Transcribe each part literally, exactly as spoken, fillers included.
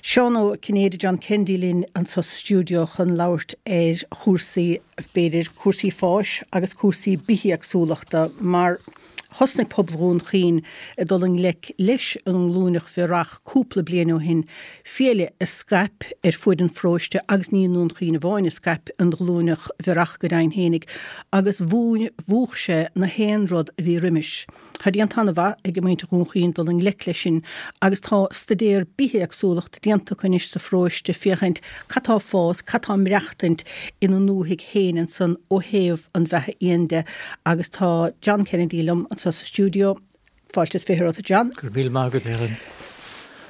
Seán Ó Cinnéide John Kennedy linn anseo sa stiúideo chun labhairt ar chúrsaí b'fhéidir cúrsaí fáis agus cúrsaí bithéagsúlachta mar thosnaigh pobal Dhún Chaoin ag dul i ngleic leis an nglúineach bhiorach cúpla bliain ó shin fiaile a scaip ar fud an pharóiste agus ní i nDún Chaoin amháin a scaip an ghlúineach bhiorach go deimhin fhéinig agus mhúch sé na haon rud a bhí roimis. Tá déanta an-mhaith ag muintir Dhún Chaoin dul i ngleic leis sin agus tá staidéar bithéagsúlacht déanta anois sa pharóiste féachaint cad tá fás, cad tá maireachtaint ina ndúthaigh féin ansan ó thaobh an bheatha éan de agus tá John Kennedy liom anseo sa stiúideo. Fáilte is fiche romhat John. Gur mí mágad Helen.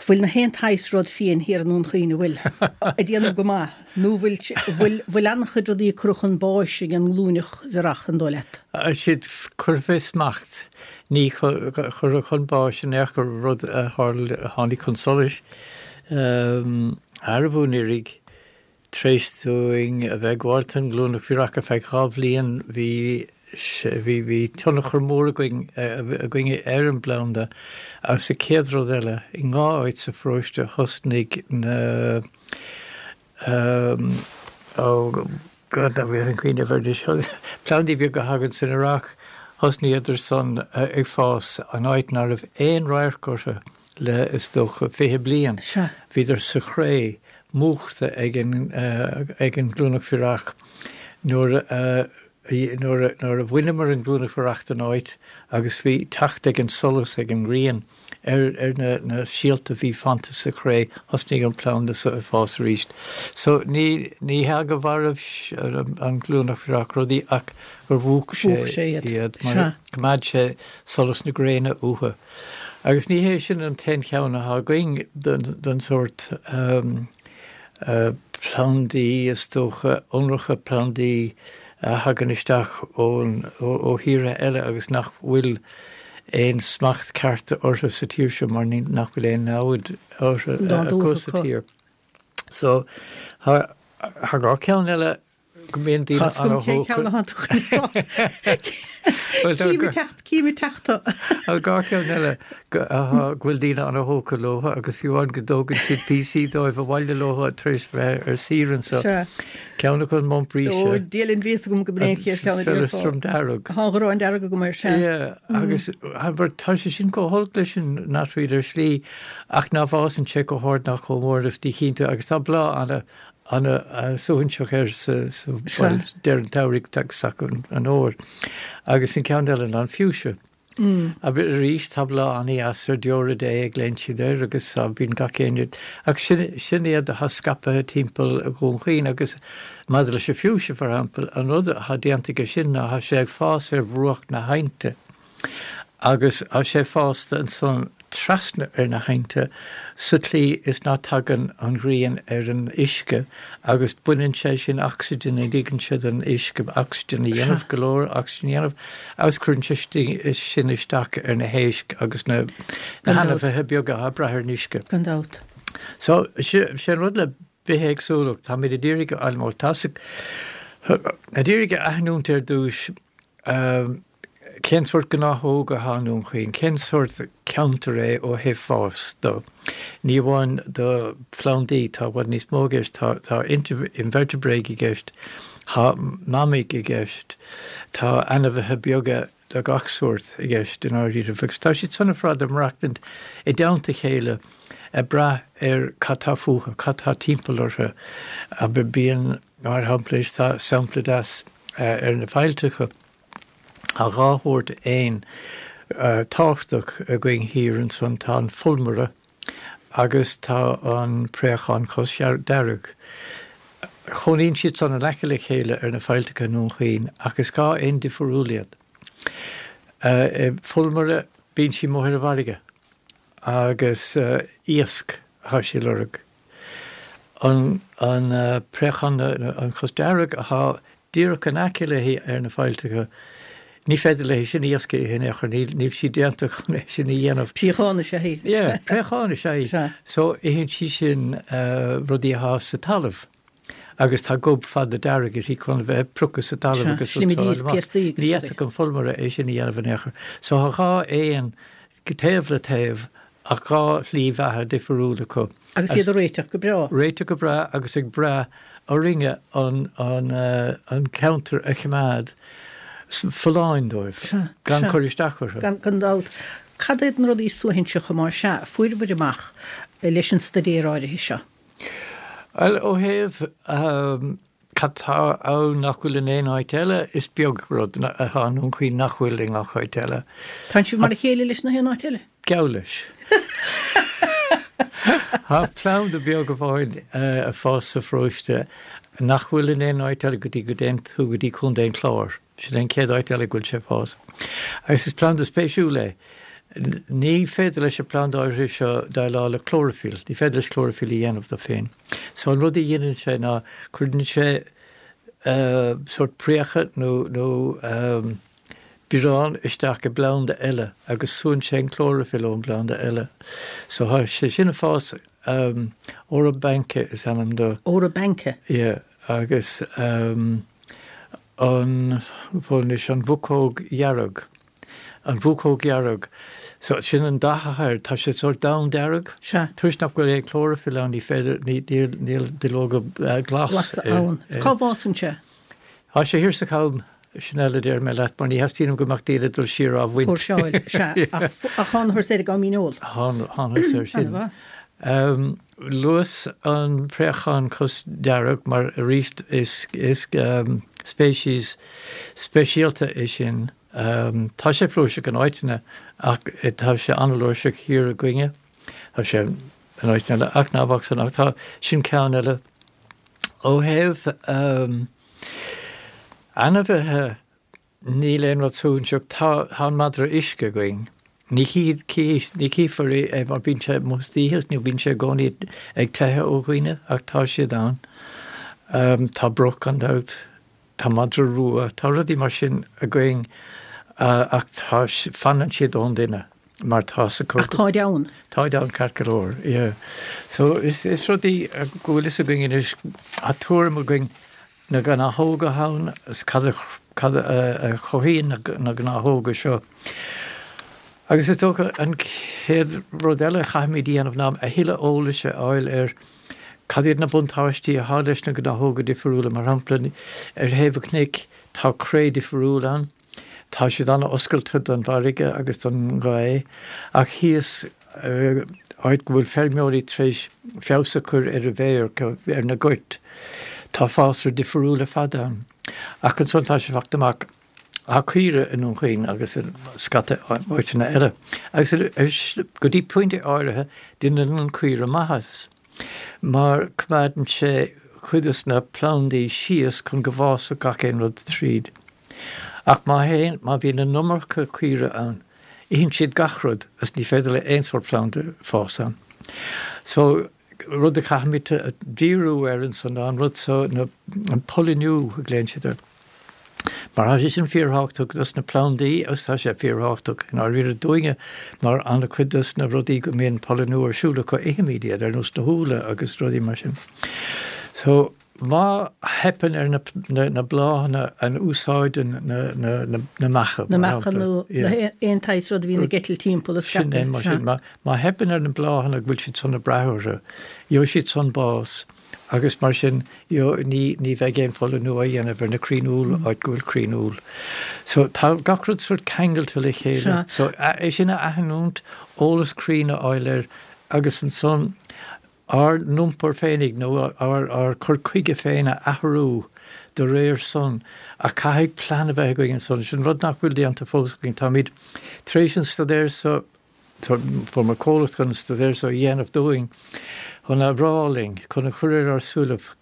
Bhfuil na haon saghas rud fiáin thiar i nDún Chaoin bhfuil ag déanamh go maith nó bhfuil bhfuil an-chuid rudaí curtha chun báis ag an nglúineach bhiorach an dóigh leat. Siad curtha fé smacht ní curtha chun báis in aon chor rud a tháinig chun solais arbh anuraidh tar éis dúinn a bheith ag gabháil don ghlúineach bhiorach ar feadh dhá bhliain bhí bhí bhí tionchar mór againn againn ar an bplanda agus sa chéad rud eile i dhá áit sa pharóiste thosnaigh na um, ó God bhí an cuimhne seo plandaí beaga a thagann san earrach thosnaíodar san ag fás an áit nach raibh aon radharc orthu le is dócha fiche bliain. Bhíodar sa chré múchta ag an ag an nglúineach bhiorach nuair uh, nuair a bhaineamar an glúineach bhiorach den áit agus bhí teacht ag an solas ag an ngrian ar ar na, na síolta bhí fanta sa chré thosnaigh an planda sa fás arís. So ní ní hea go mharaigh an glúineach bhiorach rudaí ach gur mhúch sé iad mar choimeád sé solas na gréine uathu. Agus ní hé sin an t-aon cheann atá againn den, den sórt um, uh, plandaí is dócha ionracha plandaí a thagann isteach ón ó thíortha eile agus nach bhfuil aon smacht ceart orthu sa tír seo mar nach bhfuil aon namhaid orthu acu sa tír. So thá dhá ceann eile go mbíonn daoine Cím teachta. Dhá cheann eile go bhfuil daoine an-tógtha leo agus fiú amháin go dtógann siad píosaí dóibh abhaile leo tar éis bheith ar saoire anseo. Ceann acu an montbretia. Díolin ví gom go bréon ceann Feileastram dearg. Tá an dearg go mar se. Agus tá sé sin chomh holc leis an knotweed ar shlí ach ná fásann sé chomh hard ná chomh mór is dí cinnte agus tá bláth ana ana suaithinseach air sa deireadh an tsamhraidh agus an fhómhair. Agus an ceann eile an fuchsia. Mm. Arís tá bláth an-deas ar deora Dé a ghlaonn siad air agus bíonn gach éinne ach sin sin iad atá scaipthe timpeall Dhún Chaoin agus maidir leis an fuchsia for example an rud atá déanta aige sin ná tá sé ag fás ar bhruach na haibhne. Agus tá sé fásta ansan trasna ar na haibhnte sa tslí is ná tagann an ghrian ar an uisce agus baineann sé sin ocsaigin a ligeann sé den uisce ocsaigin a dhéanamh go leor ocsaigin a dhéanamh agus cuireann sé sin isteach ar na héisc agus na na hainmhithe beaga ag brath ar an uisce. Gan dabht. So sé an rud le bithéagsúlacht tá mé ag iarraidh almó tá ag iarraidh a aithniúint ar dtús um, cén sórt gnáthóg atá i nDún Chaoin, cén sórt ceantar é ó thaobh fás do. Ní amháin do phlandaí tá i bhfad níos mó i gceist tá tá invertebrate i gceist, tá mamaigh i gceist, tá ainmhithe beaga de gach sórt i gceist in áirithe, agus tá siad san ar fad ag maireachtaint i dteannta a chéile ag brath ar cad tá fúthu, cad tá timpeall orthu, a bíonn mar shampla tá sampla deas ar na faillteacha. Tá dhá shórt éan tábhachtach againn thiar ansan tá an fulmaire agus tá an préachán cosdearg. Cónaíonn siad san in aice le chéile ar na faillteacha i nDún Chaoin ach is dhá éan difriúil iad. Fulmaire bíonn sí amuigh ar an bhfarraige agus iasc atá sí ag lorg. An an préachán an cosdearg atá díreach in aice léi ar na faillteacha, ní féidir léi sin iasc a ithe in aon chor, níl sí déanta chun é sin a dhéanamh. Préachán is ea í. Yeah, préachán is ea í. So itheann sí sin rudaí atá sa talamh agus tá gob fada dearg uirthi chun a bheith ag priocadh sa talamh agus Ní fhéadfadh an fulmaire é sin a dhéanamh in aon chor. So tá dhá éan taobh le taobh ach dhá shlí bheatha difriúil acu. Agus iad ag réiteach go breá. Réiteach go breá agus ag brath orainne an, an, uh, an ceantar a choimeád folláin dóibh, gan cur isteach orthu. Gan, gan dabht. Cad iad na rudaí suaithinseacha mar sea a fuaireabhair amach leis an staidéar áirithe seo? Bhuel, ó thaobh um, cad tá ann nach bhfuil in aon áit eile, is beag rud atá i nDún Chaoin nach bhfuil i ngach áit eile. Tánn sibh mar a chéile leis na haon áit eile? Geall leis. Tá planda beag amháin ag fás sa pharóiste nach bhfuil in aon áit eile go dtí go dtéann tú go dtí Contae an Chláir. Sin an chéad áit eile go bhfuil sé ag fás. Agus is planda spéisiúil é. Ní féidir leis an planda áirithe seo déileáil le clóraifil, ní féidir leis clóraifil a dhéanamh dó féin. So an rud a dhéanann sé ná cuireann sé uh, sórt préacha nó, nó um, biorán isteach i bplanda eile agus súnn sé an clóraifil ón bplanda eile. So tá sé sin ag fás um, Orobanche is ainm dó. Orobanche? Yeah, agus um, an bhfuil an bhucóg dhearg. An bhucóg dhearg. So sin an dath atá air, tá sé sórt donn dearg. Sea. Toisc nach bhfuil aon clóraifil ann ní féidir ní, níl, níl duilleoga uh, glas. Glas ann. Cá bhfásann sé? Tá sé thiar sa Cham sin eile deir mé leat, mar ní theastaíonn go mbeadh daoine dul siar á bhaint. Póirseáil, sea. Ach ach thángthas air ag am míneol. Thángthas air sin. Um, luas an préachán cosdearg mar arís is, is um, speiceas speisialta é sin. Um, tá sé flúirseach in áiteanna ach tá sé an-fhlúirseach thiar againne. Tá sé in áiteanna eile ach ná san ach tá sin ceann eile. Ó thaobh um, ainmhithe níl aon rud suaithinseach tá an madra uisce againn. Ní ní chífear é mar bíonn sé amuigh istoíche nó bíonn sé i gcónaí ag teitheadh ó dhaoine ach tá siad ann. Um, tá broc gan dabht, tá madra rua, tá rudaí mar sin againn uh, ach tá fanann siad ón duine mar tá sa Ach táid ann. Táid ann ceart go leor, yeah. So is, is rudaí go bhfuil fhios againn anois tá tuairim againn na gnáthóga ann is cad a, cad a, a chothaíonn na, na gnáthóga seo. Agus is dócha an chéad rud eile a chaithfimid déanamh ná a thuilleadh eolais a fháil ar cad iad na buntáistí atá leis na gnáthóga difriúla mar shampla ar thaobh an chnoic tá cré difriúil ann. Tá siad an-oscailte don bhfarraige agus don ghaoth ach thíos áit go bhfuil feirmeoirí tar éis feabhas a chur ar a bhféar ar na goirt. Tá fásra difriúil ar fad ann. Ach ansan tá sé fachta amach Tá caoire i nDún Chaoin agus i scata áiteanna eile. Agus go dtí pointe áirithe déanann an caoire maitheas, mar coimeádann sé cuid de na plandaí síos chun go bhfásfadh gach aon rud tríd. Ach má théann, má bhíonn an iomarca caoire ann, itheann siad gach rud agus ní féidir le aon sórt planda fás ann. So rud a chaithfimid díriú air ansan ná an rud so, na, an polliniú a ghlaonn siad air. Mar tá sé sin fíorthábhachtach dos na plandaí agus tá sé fíorthábhachtach i ndáiríre dúinne mar an-chuid dos na rudaí go mbíonn polliniú ar siúl acu ithimid iad ar nós na húlla agus rudaí mar sin. So má theipeann ar na, na, na bláthanna a úsáideann na, na, na, na meacha. Na meacha nó aon tsaghas rud a bhíonn ag eitilt timpeall a Sin é mar sin. Má, má theipeann ar na bláthanna go bhfuil siad san ag brath orthu, gheobhaidh siad san bás. Agus mar sin ní ní bheidh aon pholliniú á dhéanamh ar na crainn úll áit go bhfuil crainn úll. So tá gach rud sórt ceangailte le chéile. So é sin a aithniúint, eolas cruinn a fháil air agus ansan ár n-iompar féinig nó ár ár cur chuige féin a athrú de réir san. Ach caithfidh plean a bheith againn ansan. Sin rud nach bhfuil déanta fós againn. Táimid tar éis an staidéar so Fuaireamar comhlacht chun an staidéar so a dhéanamh dúinn, chun a rá linn, chun a chur ar ár súilibh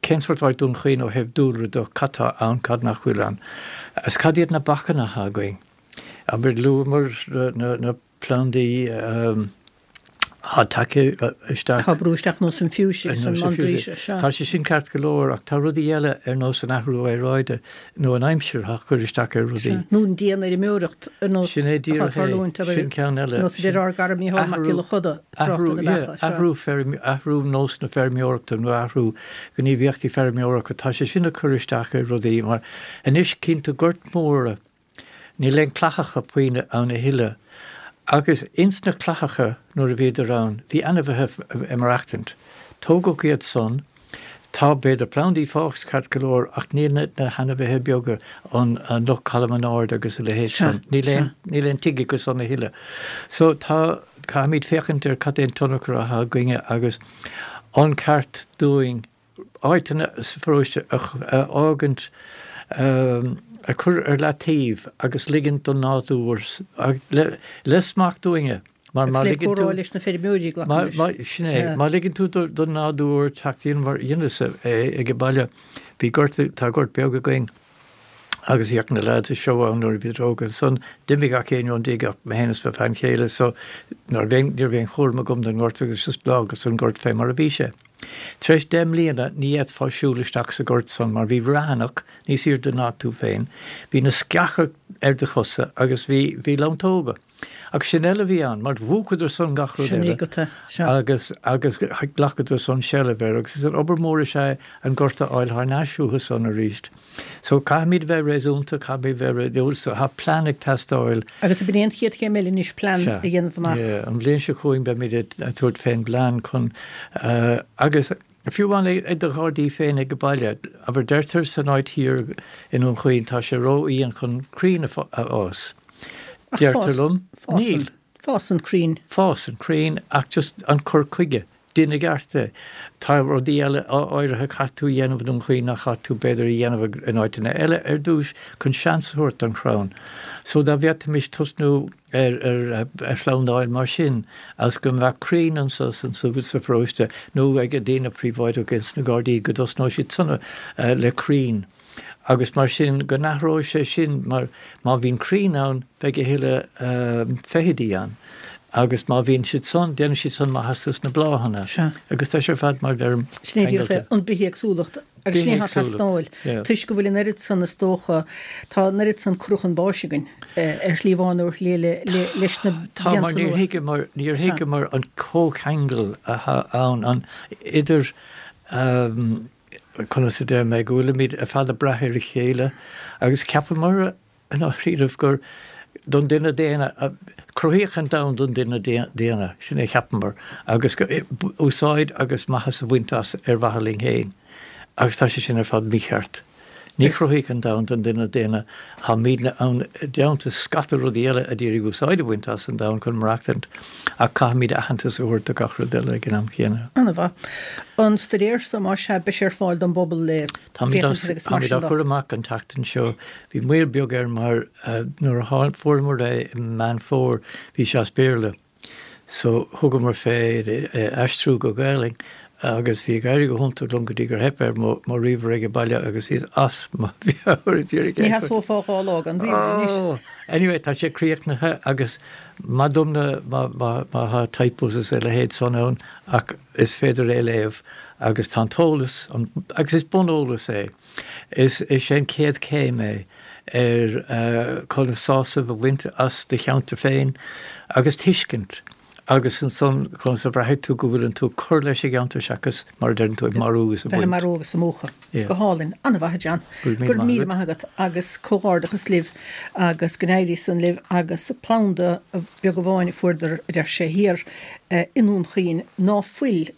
cén sórt áit Dún Chaoin ó thaobh dúlra de, cad tá ann, cad nach bhfuil ann, agus cad iad na bacanna atá againn. Abair, luamar na, na plandaí atá tagtha isteach. Atá ag brú isteach nós an fuchsia agus an montbretia, sea. Tá sé sin ceart go leor ach tá rudaí eile ar nós an athrú aeráide nó an aimsir atá ag cur isteach ar rudaí. Sea, nó an dianfheirmeoireacht ar nós Sin é atá díreach é, tarlúint, abair, sin ceann eile. nós a deir ár gcara Mícheál Mac Athrú, Giolla Chuda, trácht athrú, ar na yeah, beacha, sea. athrú feirme, athrú nós na feirmeoireachta nó athrú gníomhaíochtaí feirmeoireachta, tá sé sin ag cur isteach ar rudaí mar anois cíonn tú goirt mhóra, níl aon clathacha puinn ann a thuilleadh Agus ins na clathacha nuair a bhíodar ann, bhí ainmhithe ag maireachtaint. Tógadh iad san, tá b'fhéidir plandaí fágtha ceart go leor ach níl na na hainmhithe beaga an an luch cholmán ard agus a leithéid Sea, san. Níl sea. aon níl aon tigh acu san a thuilleadh. So tá caithfimid féachaint ar cad é an tionchar atá againne agus an ceart dúinn áiteanna sa pharóiste a a fhágaint a chur ar leataobh agus ligint don nádúr le le smacht uainne mar má Agus le ligeann tú comhrá leis na feirmeoirí Má, glacaim má, leis. sin é, Sea. má ligeann tú do, don nádúr teacht in mar dheineas é ag an baile, bhí gort, tá gort beag againn agus bhíodh na lads ag seó ann nuair a bhíodar óg ansan d'imigh gach éinne ón dtigh ach mé féin is mo bhean chéile so nuair bhí ní raibh aon chúram agam don ngort agus just d'fhágas an gort fé mar a bhí sé. Tar éis deich mbliana ní fhéadfá siúl isteach sa gort san mar bhí raithneach níos airde ná tú féin, bhí na sceacha ar do chosa agus bhí bhí lamtóga. Ach sin eile bhí ann, mar mhúchadar san gach rud Sin eile. agat, sea. agus agus ghlacadar san seilbh air agus is an obair mór is ea an gort a fháil thar n-ais uathu san arís. So caithfimid bheith réasúnta, caithfimid bheith réadúil, so tá plean ag teastáil. Agus b'in an chéad chéim eile anois plean Sea. a dhéanamh amach. Yeah, an bhliain seo chugainn beimid ag ag tabhairt fén bplean chun uh, agus fiú amháin ag do ghairdín féin ag an baile, abair deirtear san áit thiar i nDún Chaoin tá sé ródhian chun crainn a fá- a fhás. Ach Deirtear fás- liom, fásann- níl. Fásann crainn. Fásann crainn ach just an cur chuige. Déan i gceart é. Tá rudaí eile áirithe caithfidh tú a dhéanamh i nDún Chaoin nach caithfidh tú b'fhéidir a dhéanamh in áiteanna eile ar dtús chun seans a thabhairt don chrann. So dá bhféadfaimis tosnú ar ar ar phlandáil mar sin as go mbeadh crainn anso san sa sa pharóiste nó ag daoine príobháideach ins na gairdíní go dtosnódh siad san uh, le crainn. Agus mar sin go n-athródh sé sin mar má bhíonn crainn ann beidh a thuilleadh uh, feithidí ann. Agus má bhíonn siad san, déanann siad san maitheas na bláthanna. Sea. Agus tá sé ar fad mar deirim Sin é díreach ceangailte. an bithéagsúlacht agus sin é Bithéagsúlacht, teastáil. yeah. Toisc go bhfuil an oiread san is dócha tá an oiread san curtha chun báis againn eh, ar shlí amháin nó ar shlí eile le leis na Tá mar blianta níor anuas. thuigeamar níor Sea. thuigeamar an comhcheangal atá ann an idir um, conas a deir mé go bhfuilimid ar fad ag brath ar a chéile agus ceapamar in áiríomh gur don duine daonna cruthaíodh an domhan don duine daonna sin é cheapamar agus go- úsáid agus maitheas a bhaint as ar mhaithe linn féin agus tá sé sin ar fad mícheart. Ní cruthaíodh an domhan don duine daonna táimidne ann i dteannta scata rudaí eile a d'iarraidh úsáid a bhaint as an domhan chun maireachtaint ach caithfimid aitheantas a thabhairt do gach rud eile ag an am chéanna. An-mhaith. An staidéar so má sea beidh sé ar fáil don bpobal le Táimid féachaint agus mar táimid sin á de. chur amach an tseachtain seo. Bhí moill beag air mar uh, nuair a tháinig fuaireamar é i Meán Fómhair bhí sé as Béarla. So thugamar fé é aistriú go Gaeilge agus bhí ag éirí go hiontach liom go dtí gur theip ar mo mo ríomhaire ag an baile agus iad as mo Ní theastófá dhá lá gan ríomhaire anois. Oh, anyway, tá sé críochnaithe agus madumna má má má tá typos is a leithéid san ann ach is féidir é léamh agus tá an t-eolas an, agus is buneolas é. Is is sé an chéad chéim é ar uh, chun sásamh a bhaint as do cheantar féin agus tuiscint agus ansan chun sa bhraithfidh tú go bhfuil tú cur leis an gceantar seachas mar a deireann tú ag marú agus a Bheith bhaint. marú agus a múchadh. Yeah. Go hálainn an-mhaith John. Go raibh míle Gur maith míle agat. maith agat agus comhghairdeachas libh agus go n-éirí san libh agus planda beag amháin a fuaireadar a deir sé thiar eh, i nDún Chaoin ná fuil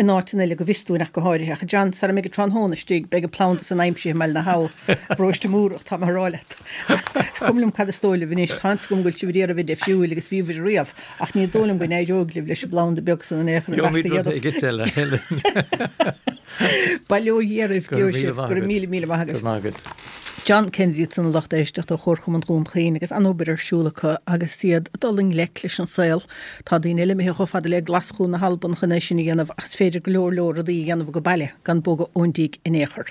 in áit eile go bhfios dúinn ach go háirithe. Ach John sara mbeidh tráthnóna istigh beidh an planda san aimsithe i mBaile na hAbha bróiste múrach tá mar rálet. Is cuma liom cad is dóigh libh anois tá a fhios agam go bhfuil sibh ag iarraidh difriúil agus bhí riamh ach ní dóigh liom go n-éireoidh libh leis an bplanda beag san an échan Gheobhaimid rud éigin eile, Helen. Bail ó Dhia oraibh Go raibh míle maith go agat. míle míle maith Go raibh maith agat. John Kennedy san a lucht éisteachta ó Chomharchumann Dhún Chaoin agus an-obair ar siúl acu agus iad dul i ngleic leis an saol. Tá daoine eile imithe chomh fada le Glaschú na hAlban chun é sin a dhéanamh ach is féidir go leor leor rudaí a dhéanamh go baile gan bogadh ón dtigh in aon chor.